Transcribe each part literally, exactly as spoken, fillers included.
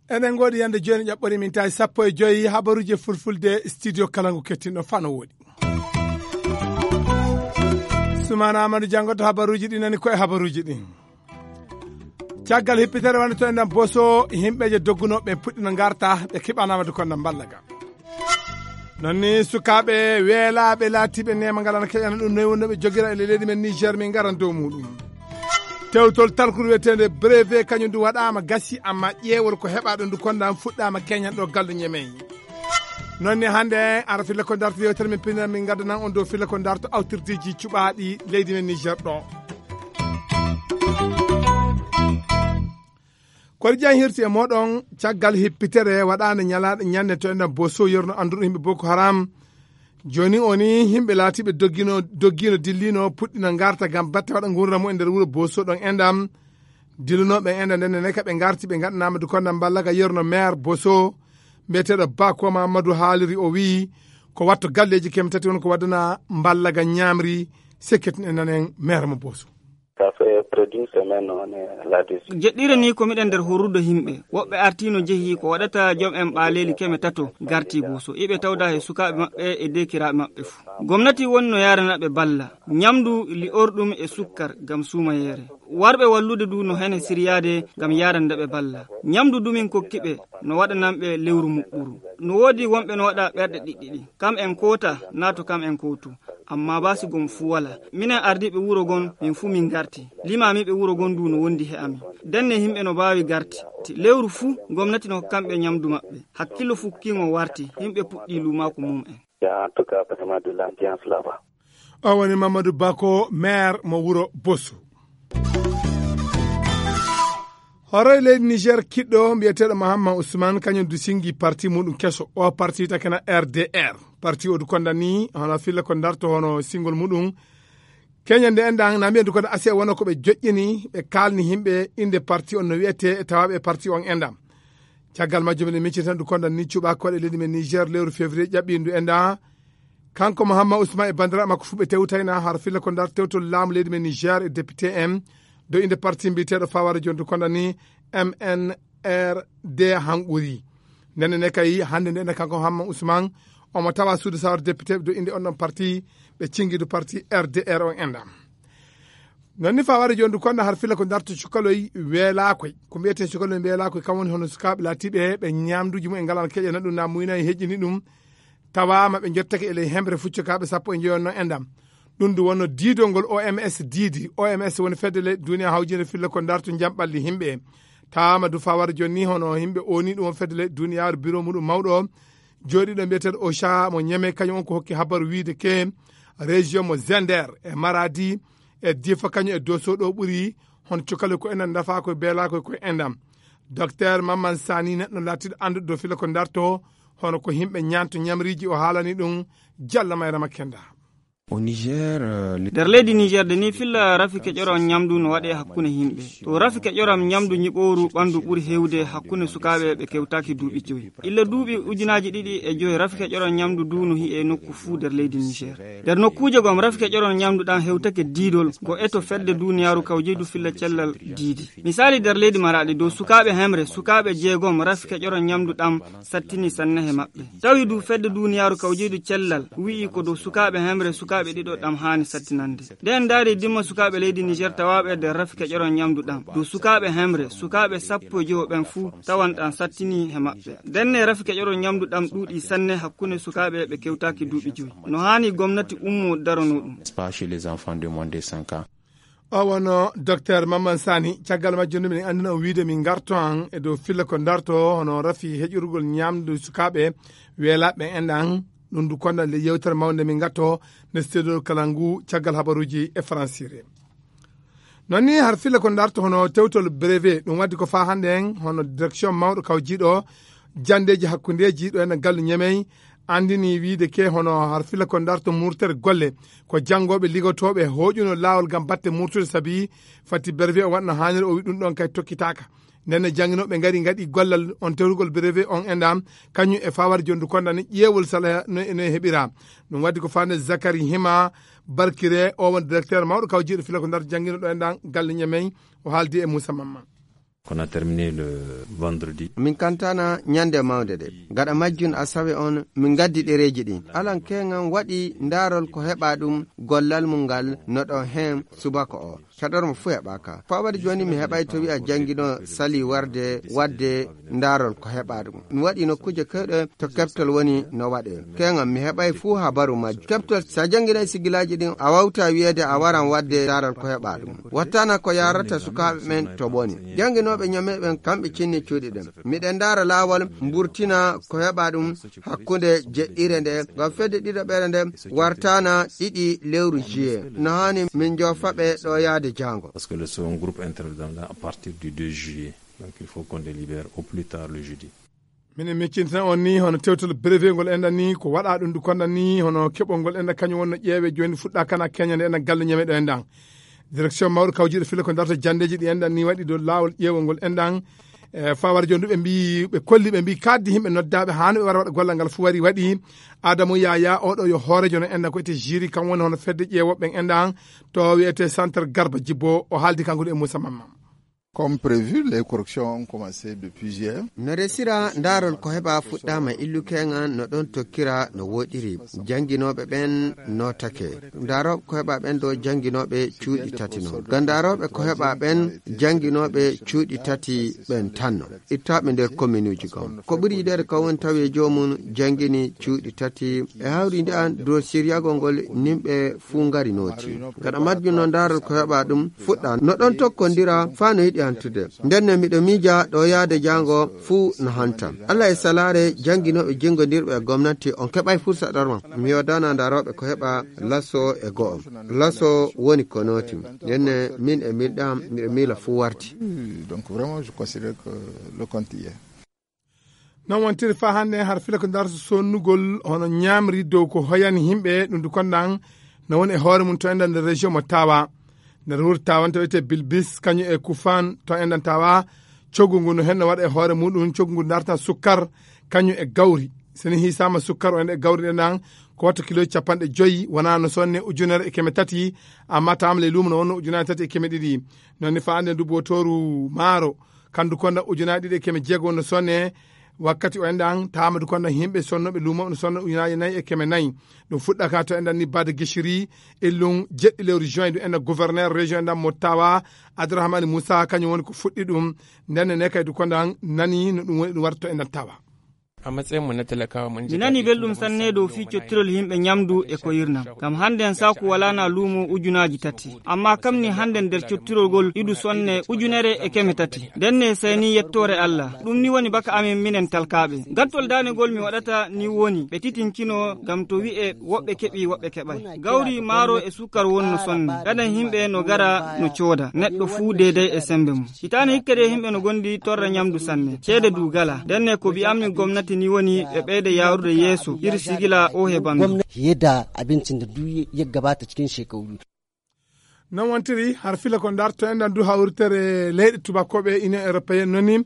Eɗen ngoodi yande jooni ƴaɓɓori min tawi sappo e joyi habaruji fulfulde studio kala ngu kettinɗo fano woɗi. Sumana Amadou Diango to habaruji ɗi nani ko e habaruji ɗi. Caggal hippitere wonde to enɗam boso, himɓeje doggunoɓe puɗɗino garta, ɓe kiɓanama du konda mballa ga. Non ni sukaaɓe weelaaɓe laatiiɓe neema ngal ana keƴana ɗum noy wonno ɓe jogira e leydi men Niger, min ngaran dow muɗum. Tewtol talkuru wiyetende brevet kañum du waɗaama gasi, amma ƴeewol ko heɓa ɗon du konda fuɗɗaama keñan ɗo gallu ñemey. Non ni hannde ara filla ko darto yewtere men pinal min gaddanan on dow filla ko darto awtirdeji cuɓaaɗi leydi men Niger ɗo. Koɗi jan hirti e moɗon caggal hippitere waɗande ñalaɗe ñande to enɗam boso yerno anduɗo himɓe Boko Haram. Joni oni himɓe laatiɓe doggino doggino dillino puɗɗino garta gam batte waɗa gurdam mu e nder wuro boso ɗon enɗam. Dillunoɓe enɗam nden ne ka ɓe garti ɓe gaɗanama du konda mballaga yerno maire boso mbiyeteɗo Bako Mamadou haaliri o wi ko watto galleji keme tati won ko waddana mballaga ñamri. Sekket ne nanen maire mo boso. Ça fait près d'une semaine, on est là-dessus. Jeɗɗire ni ko miɗen nder horrude himɓe. Woɓɓe artino jehi ko waɗata jom en ɓaaleeli keme tato garti boso. Iɓe tawda he sukaaɓe maɓɓe e dekiraaɓe maɓɓe fu. Gomnati woni no yaarana ɓe balla. Ñamdu li'orɗum e sukkar ngam suumayeere. Warɓe wallude du no hene siryaade ngam yaarande ɓe balla. Ñamdu du min kokki ɓe no waɗanan ɓe lewru muɓɓuru. No woodi wonɓe no waɗa ɓerɗe ɗiɗɗiɗi. Kam en koota, naa to kam en kootu. Amma ba si gom fu wala. Minen ardiiɓe wuro gon, min fu min garti. Limaamiiɓe wuro gon du no wondi he amin. Denne himɓe no baawi garti. Ti lewru fu, gomnati no hokkan ɓe ñamdu maɓɓe. Hakkillo fukkiŋo warti, himɓe puɗɗi luumaaku mum en. Il y a en tout cas vraiment de l'ambiance là-bas. O woni Mamadou Bako, maire mo wuro Bosso. Hoore leydi Niger kiɗɗo mbiyeteeɗo Mahamma Ousmane, kañum du singi parti muɗum keso. O parti takena R D R. Parti o du kondani, hono filla ko darto hono singol muɗum. Keñe nde enɗan, na mbiyen du kono ase wono ko ɓe joƴƴini, ɓe kaalni himɓe innde parti on no wiyetee, e tawaaɓe e parti on enɗan. Caggal majjum, eɗen miccita tan du kondan ni cuɓa koɗe leydi men Niger, lewru février ƴaɓɓindu enɗan. Kanko Mahamma Ousmane e bandiraɓe makko fu ɓe tewtayna har filla ko ndar tewtol laamu leydi men Niger e député en. Do innde parti mbiyeteeɗo Fawara Jon du kondan ni M N R D hanquri. Ndenne ne kay hannde nde enɗan kanko Mahamma Ousmane, omo tawa suudu sawar député ɓe do innde on ɗon parti, ɓe cingi du parti R D R on enɗan. Non ni Fawara Jon du kondan har filla ko darto cukaloy weelaakoy. Ko mbiyeten cukaloy weelaakoy kam woni hono sukaaɓe laatiiɓe ɓe ñamduuji mumen ngalaa keƴana ɗum na muyna e heƴƴini ɗum. Tawaama ɓe jottake e ley hemre fuccukaaɓe sappo e njoyo non enɗan. Ɗum du wonno diidol ngol O M S diidi. O M S woni fedde leyɗe duniya hawjinde filla ko darto jamɓalli himɓe. Tawaama du Fawara Jon ni hono himɓe oni ɗum on fedde leyɗe duniyaaru biro muɗum mawɗo. Jooɗiiɗo mbiyeteeɗo Ocha mo Ñeme kañum on ko hokki habaru wiide ke région mo Zender e Maradi e Difa kañum e Doso ɗo ɓuri hono cukaloy ko enɗan dafa koye beelaakoy koye enɗan. Docteur Mamman Sani neɗɗo laatiiɗo annduɗo dow filla ko darto hono ko himɓe ñaanto ñamriiji o haalani ɗum. Jalla Mayrama Kenda. Au Niger, euh, le- Nder leydi Niger de ni filla rafi keƴoram ñamdu no waɗe hakkunde himɓe. To rafi keƴoram ñamdu ñiɓooru ɓandu ɓuri hewde hakkunde sukaaɓe ɓe kewtaaki duuɓi joyi. Illa duuɓi ujunaaji ɗiɗi e joyi rafi keƴoram ñamdu du no hi'e nokku fuu nder leydi Niger. Nder nokkuuje gom rafi keƴoram ñamdu ɗan hewtake diidol go eto fedde duniyaaru kawjeydu filla cellal diidi. Misaali nder leydi Maraɗi dow sukaaɓe hemre, sukaaɓe jeegom rafi keƴoram ñamdu ɗan sattini sanne he maɓɓe. Tawi du fedde duniyaaru kawjeydu cellal wi'i ko dow sukaaɓe hemre sukaaɓe ɗiɗo ɗam haani sattinande. Nde en ndaari dimma sukaaɓe leydi Niger tawaaɓe nder rafi keƴoram ñamdu ɗam. Dow sukaaɓe hemre, sukaaɓe sappo e jowo ɓen fuu tawan ɗam sattini he maɓɓe. Ndenne rafi keƴoram ñamdu ɗam ɗuuɗi sanne hakkunde sukaaɓe ɓe kewtaaki duuɓi joyi. No haani gomnati ummo darano ɗum. Pas chez les enfants de moins de cinq ans. O wonno Docteur Mamman Sani, caggal majjum nde min anndina o wiide min ngarto han e dow filla ko darto hono rafi heƴorugol ñamdu sukaaɓe weelaaɓe enɗan. Ɗum du kondan le yewtere mawnde min ngatto nde studio kala ngu caggal habaruuji e faransire. Non ni har filla ko darto hono tewtol brevet, ɗum waddi ko faa hannde en hono direction mawɗo kawjiiɗo janndeeji hakkundeeji ɗo en gallu Ñemey anndini wiide ke hono har filla ko darto murtere golle ko janngooɓe ligotooɓe hooƴuno laawol ngam batte murtude sabi fati brevet o waɗno haaniri o wi ɗum ɗon kay tokkitaaka. Nden ne jannginooɓe ngari ngaɗi gollal on tewtugol brevet on enɗan, kañum e fawar jondu konda ni ƴeewol sala no, no e heɓira. Ɗum waddi ko fande Zakari Hima Barkire, o won directeur mawɗo kawjiiɗo fila ko ndar janngino ɗo enɗan galle Ñamey, o haaldi e Moussa Mamma. Qu'on a terminé le vendredi. Min kantana ñande mawnde de. Gaɗa majjun asawe on, min gaddi ɗereeji ɗin. Alan keŋan waɗi ndaarol ko heɓa ɗum gollal mum ngal no ɗon heen subaka o. Caɗor mo fuu heɓaaka. Ko a waɗi jooni mi heɓay to wi'a janngino sali warde, wadde ndaarol ko heɓa ɗum. Mi waɗi nokkuuje kewɗe to keɓtol woni no waɗe. Keŋan mi heɓay fuu habaru majjum. Keɓtol, so a jannginay sigilaaji ɗin, a wawta wi'eede a waran wadde ndaarol ko heɓa ɗum. Wattana ko yaarata sukaaɓe ɓen to boni. Jannginooɓe Ñamey ɓen, kamɓe cinni cuuɗi ɗen. Miɗen ndaara laawol mburtina ko heɓa ɗum hakkunde jeɗɗire nde, ngam fedde ɗiɗaɓere nde wartana ɗiɗi lewru juillet. No haani min joofa ɓe ɗo yaade jaango. Parce que le second groupe interviendra à partir du deux juillet. Donc il faut qu'on délibère au plus tard le jeudi. Minen miccintina on ni hono tewtol brevet ngol enɗan ni ko waɗa ɗum du konɗan ni hono keɓol ngol enɗan kañum wonno ƴeewe jooni fuɗɗa kana keñande enɗan galle Ñamey ɗo enɗan. Direction mawɗo kawjiiɗo fila ko darta jandeeji ɗi enɗan ni waɗi dow laawol ƴeewol ngol enɗan. E fawar jooni ɓe mbi, ɓe kolli, ɓe mbi kaddi yimɓe noddaaɓe haa no ɓe wara waɗa gollal ngal fof wari waɗi. Adamu Yaya oɗo yo hoorejo no enɗan ko ete jiri, kam woni hono fedde ƴeewooɓe ɓen enɗan to wiyete centre Garba Jibbo, o haaldi kanko e Moussa Mamma. Comme prévu, les corrections ont commencé depuis hier. No resira ndaarol ko heɓa fuɗɗaama illukeŋan no ɗon tokkira no woɗiri. Jannginooɓe ɓen nootake. Ndaarooɓe ko heɓa ɓen ɗo jannginooɓe cuuɗi tati non. Ga ndaarooɓe ko heɓa ɓen jannginooɓe cuuɗi tati ɓen tan non. Ittaaɓe nder kominuuji gom. Ko ɓuri yiɗeede kan woni tawi e joomum janngini cuuɗi tati. E hawrinde an dow siryagol ngol nimɓe fuu ngari nooti. Gaɗa majjum no ndaarol ko heɓa ɗum fuɗɗa. No ɗon tokkondira faa no yiɗi hantude. Nden ne miɗo miija ɗo yaade jaango fuu no hanta. Allah e salaare jannginooɓe jinngondirɓe e gomnati on keɓay fursa ɗorma. Mi yoodana ndaarooɓe ko heɓa laso e go'o. Laso woni ko nooti. Nden ne min e miilɗam miɗo miila fuu warti. Donc vraiment, je considère que le compte y est. Non wontiri faa hannde har fila ko ndarto sonnugol hono ñaamri dow ko hoyani yimɓe ɗum du kondan no woni e hoore mum to enɗan nder région mo Tawa. Nder wuro Tawa to wiyetee Bilbis kañum e Kufan to enɗan Tawa, coggu ngu no henno waɗa e hoore muɗum, coggu ngu dartan sukkar kañum e gawri. So ni hiisaama sukkar o enɗan e gawri ɗenɗan ko watta kilo capanɗe joyi, wonaa no sonne ujunere e keme tati, amma taama ley luumo no wonno ujunere tati e keme ɗiɗi. Non ni faa hannde ndu bootooru maaro kandu konda ujunaaji ɗiɗi e keme jeego no sonne. Wakkati o enɗan taama du konda yimɓe sonnooɓe luumo no sonno ujunaaji nayi e keme nayi. Ɗum fuɗɗaka to enɗan ni Bada Gishiri, illum jeɗɗi lewru juin, ɗum enɗan gouverneur région enɗan mo Tawa, Abdourahmane Moussa, kañum woni ko fuɗɗi ɗum. Nden ne kay du kondan nani no ɗum woni ɗum warta to enɗan Tawa. A matsayin mu na talakawa mun ji mi nani daɗi belɗum tunda mun sanne samu dow fii cottirol yimɓe ñamdu e ko yirnam. Ngam hannden saaku walaana luumo ujunaaji tati. Amma kam ni hannden nder cottirol ngol idu sonne ujunere e keme tati. Nden ne sey ni yettoore Allah. Ɗum ni woni baka amin minen talkaaɓe. Gattol daanegol mi waɗata ni woni ɓe titincino ngam to wi'e woɓɓe keɓi woɓɓe keɓay. Gawri, maaro e sukkar wonno sonne. Gadan yimɓe no gara no cooda. Neɗɗo fuu deeday e sembe mum. Hitaane hikka de yimɓe no gondi torra ñamdu sanne. Ceede du gala. Nden ne ko bi'ammi gomnati ni woni ɓe ɓeyda yaarude yeeso. Iri sigila o he bannge. Gwamnati ya da abincin da duk ya gabata cikin shekaru. Non wontiri har fila ko ndarto enɗan du hawritere leyɗe tubakooɓe Union Européenne noni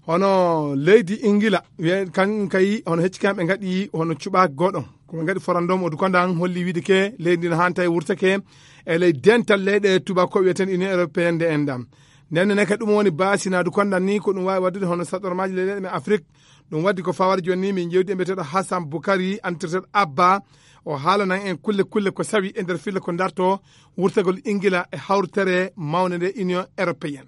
hono leydi Ingila, wiye kan kay hono hecci kamɓe ngaɗi hono cuɓaaki goɗo. Ko ɓe ngaɗi forandom o du kondan holli wiide ke leydi no hanta e wurtake e ley dental leyɗe tubakooɓe wiyeten Union Européenne nde enɗan. Nden ne kadi ɗum woni baasi na du kondan ni ko ɗum waawi waɗude hono saɗormaaji leyɗe men Afrik. Ɗum waddi ko fawar jooni ni min jewdi e mbiyeteeɗo Hassan Boukari, antirteeɗo Abba, o haalanan en kulle kulle ko sawi e nder filla ko darto wurtagol Ingila e hawritere mawnde nde Union Européenne.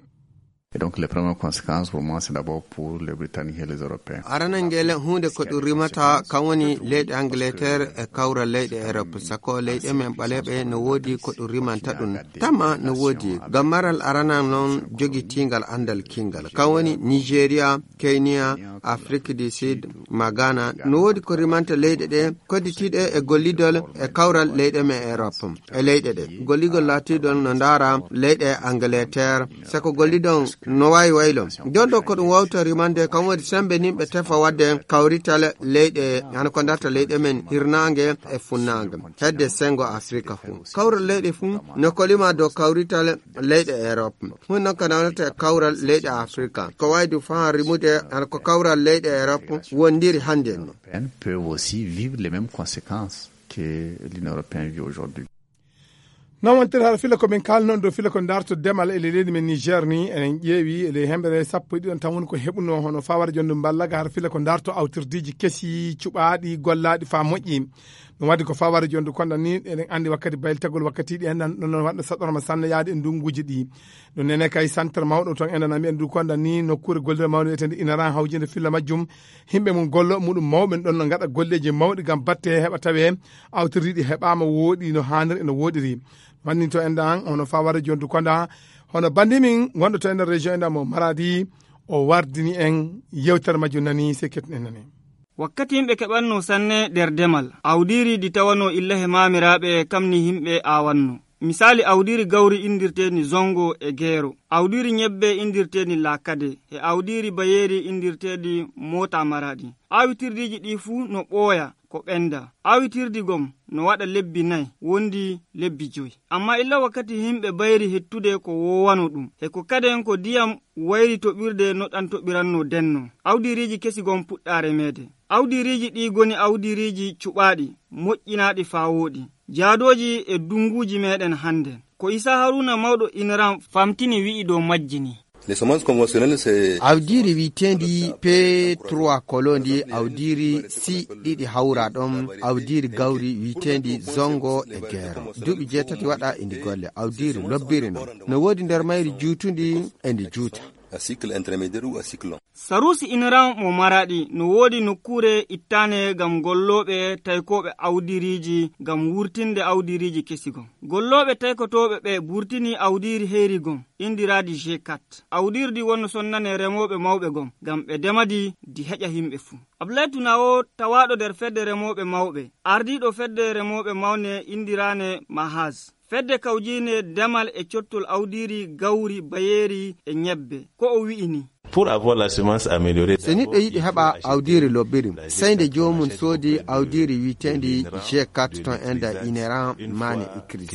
Et donc, les premières conséquences, pour moi, c'est d'abord pour les Britanniques et les Européens. Arana ngele huunde ko ɗum rimata, kan woni leyɗe Angleterre e kawral leyɗe Europe. Sako leyɗe men ɓaleeɓe no woodi ko ɗum rimanta ɗum. Tama no woodi. Ngam maral arana noon jogitiingal anndal kinngal. Kan woni Nigeria, Kenya, Afrique du Sud, ma Ghana. No woodi ko rimanta leyɗe ɗe, kodditiiɗe e gollidol e kawral leyɗe men Europe. E leyɗe ɗe. Gollidol laatiidol no ndaara leyɗe Angleterre. Sako gollidon No waawi waylo. Jon ɗo ko ɗum wawta rimande kam woni sembe nimɓe tefa wadde kawrital leyɗe, hano ko darta leyɗe men hirnaange e funnaange. Hedde sengo Afrika fuu. Kawral leyɗe fuu no kolima dow kawrital leyɗe Europe. Hun noon ko nawnata e kawral leyɗe Afrika. Ko wawi du faa rimude hano ko kawral leyɗe Europe wondiri hannde no. Peuvent aussi vivre les mêmes conséquences que l'Union européenne vit aujourd'hui. Noon wontere hara fila ko min kaalnoon dow fila ko darto demal e leydi men Niger ni, enen ƴeewi e ley hemɓere sappo e ɗiɗon tan woni ko heɓuno hono fawara jondu mballaga hara fila ko darto awtirdiiji kesi cuɓaaɗi gollaaɗi faa moƴƴi. Ɗum waɗi ko fawara jondu konda ni, eɗen anndi wakkati baylitagol wakkatiiɗi en nan ɗon waɗa saɗorma sanne yaade e ndunguuji ɗi. Ɗum nene kay santar mawɗo toon enen ami en du konda ni nokkuure gollirde mawɗo wiyeteende inaran hawjinde filla majjum. Himɓe mum gollo muɗum mawɓe ɗon no ngaɗa golleeji mawɗi ngam batte heɓa tawe awtirdiiɗi heɓaama wooɗi no haaniri e no wooɗiri. Wanni to en ɗan hono fawara jondu konda hono bandi min wonɗo to en région en ɗan mo Maradi o wardini en yewtere majjum nani se kettin en nani. Wakkati yimɓe keɓanno sanne nder demal, awdiiri ndi tawano illa he maamiraaɓe kam ni yimɓe aawanno. Misaali awdiiri gawri inndirteeni zongo e geero, awdiiri ñebbe inndirteeni laakade, e awdiiri bayeeri inndirteeni moota maraɗi. Awitirdiiji ɗi fuu no ɓooya ko ɓenda. Awitirdi gom no waɗa lebbi nay, wondi lebbi joy. Amma illa wakkati yimɓe bayri hettude ko woowano ɗum, e ko kaden ko diyam wayri toɓirde no ɗan toɓiranno denno. Awdiiriiji kesi gom puɗɗa remeede. Awdiiriiji ɗi goni awdiiriiji cuɓaaɗi, moƴƴinaaɗi faa wooɗi, jaadooji e dunguuji meɗen hannden. Ko Isa Haruna mawɗo inaran famtini wi'i dow majji ni. Les semences conventionnelles, c'est awdiiri wi'eteendi P trois kolo ndi awdiiri si ɗiɗi hawra ɗon, awdiiri gawri wi'eteendi zongo e geero. Duuɓi jeetati waɗa e ndi golle, awdiiri lobbiri non. No woodi nder mayri juutundi e ndi juuta. À cycle intermédiaire ou à cycle long. Sarusi inaran mo maraɗi no woodi nokkuure ittaane ngam gollooɓe taykooɓe awdiiriiji ngam wurtinde awdiiriiji kesi gom. Gollooɓe taykotooɓe ɓe burtini awdiiri heyri gom, indiraadi G quatre. Awdiirdi wonno sonnane remooɓe mawɓe gom, ngam ɓe demadi di heƴa yimɓe fuu. Ablaye Tuna o tawaaɗo nder fedde remooɓe mawɓe, ardiiɗo fedde remooɓe mawne indiraane Mahaz. Fedde kawjiine demal e cottol awdiiri gawri, bayeeri e ñebbe. Ko o wi'i ni. Pour avoir la semence améliorée, so neɗɗo yiɗi heɓa awdiiri lobbiri, sey nde joomum soodi awdiiri wi'eteendi G quatre ton enda ineran mane écrit.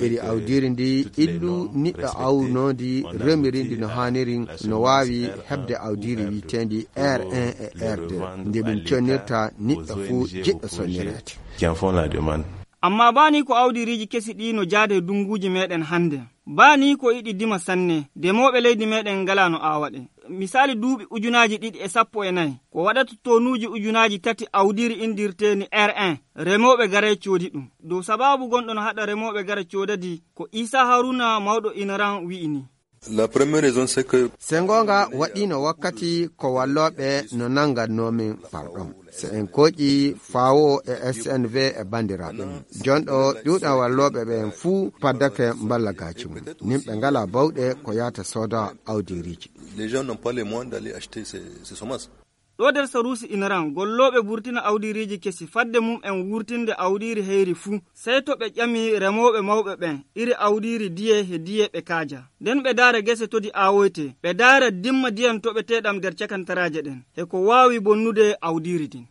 Iri awdiiri ndi illu niɗɗo awnoondi remiri ndi no haaniri no waawi heɓde awdiiri wi'eteendi R un e R deux. Nde ɗum connirta niɗɗo fuu jiɗɗo sonnireede. Qui en font la demande. Amma baa ni ko awdiiriiji kesi ɗi no jaade e dunguuji meɗen hannde. Baa ni ko iɗi dima sanne, demooɓe leydi meɗen ngalaa no aawa ɗe. Misaali duuɓi ujunaaji ɗiɗi e sappo e nayi, ko waɗata tonuuji ujunaaji tati awdiiri inndirteeni R un, remooɓe garay coodi ɗum. Dow sabaabu gonɗo no haɗa remooɓe gara coodadi, ko Isa Haruna mawɗo inaran wi'i ni. La première raison, c'est que se ngoonga waɗiino wakkati ko wallooɓe no nanngannoo min, pardon. So en kooƴi Fawo e S N V e banndiraaɓe mum. Jonɗo ƴuuɗa wallooɓe ɓeen fuu paddake mballagaaji mum. Nimɓe ngalaa bawɗe ko yahata sooda awdiiriiji. Les gens n'ont pas les moyens d'aller acheter ces, ces semences. Ɗo nder Sarusi Inaran, gollooɓe burtina awdiiriiji kesi fadde mum en wurtinde awdiiri heyri fuu, sey to ɓe ƴami remooɓe mawɓe ɓen, iri awdiiri diye he diye ɓe kaaja. Nden ɓe daara gese to di aawoytee, ɓe daara dimma diyan toɓeteeɗam nder cakantaraaje ɗen, he ko waawi bonnude awdiiri din.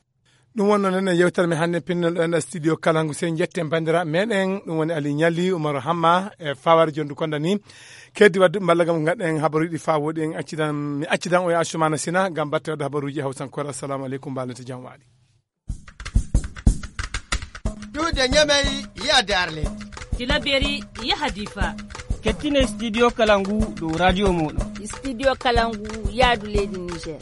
Ɗum wonno nen e yewtere men hannde pinnol ɗo en studio Kalangu. Sey njetten banndiraaɓe meɗen, ɗum woni Ali Ñalli, Umaru Hamma e Fawar Jondu Konda ni. Keddi wadduɓe mballa gam gaɗɗen habaruuji ɗi faa wooɗi en accidan, mi accidan o e Asumana Sina gam batte wadde habaruuji hawsankore. Assalamu aleykum, mbaalete jam waali. Duude ñamey yaade Arleti. Tilaberi yaha Difa. Kettine studio Kalangu dow radio mooɗon. Studio Kalangu yaadu leydi Niger.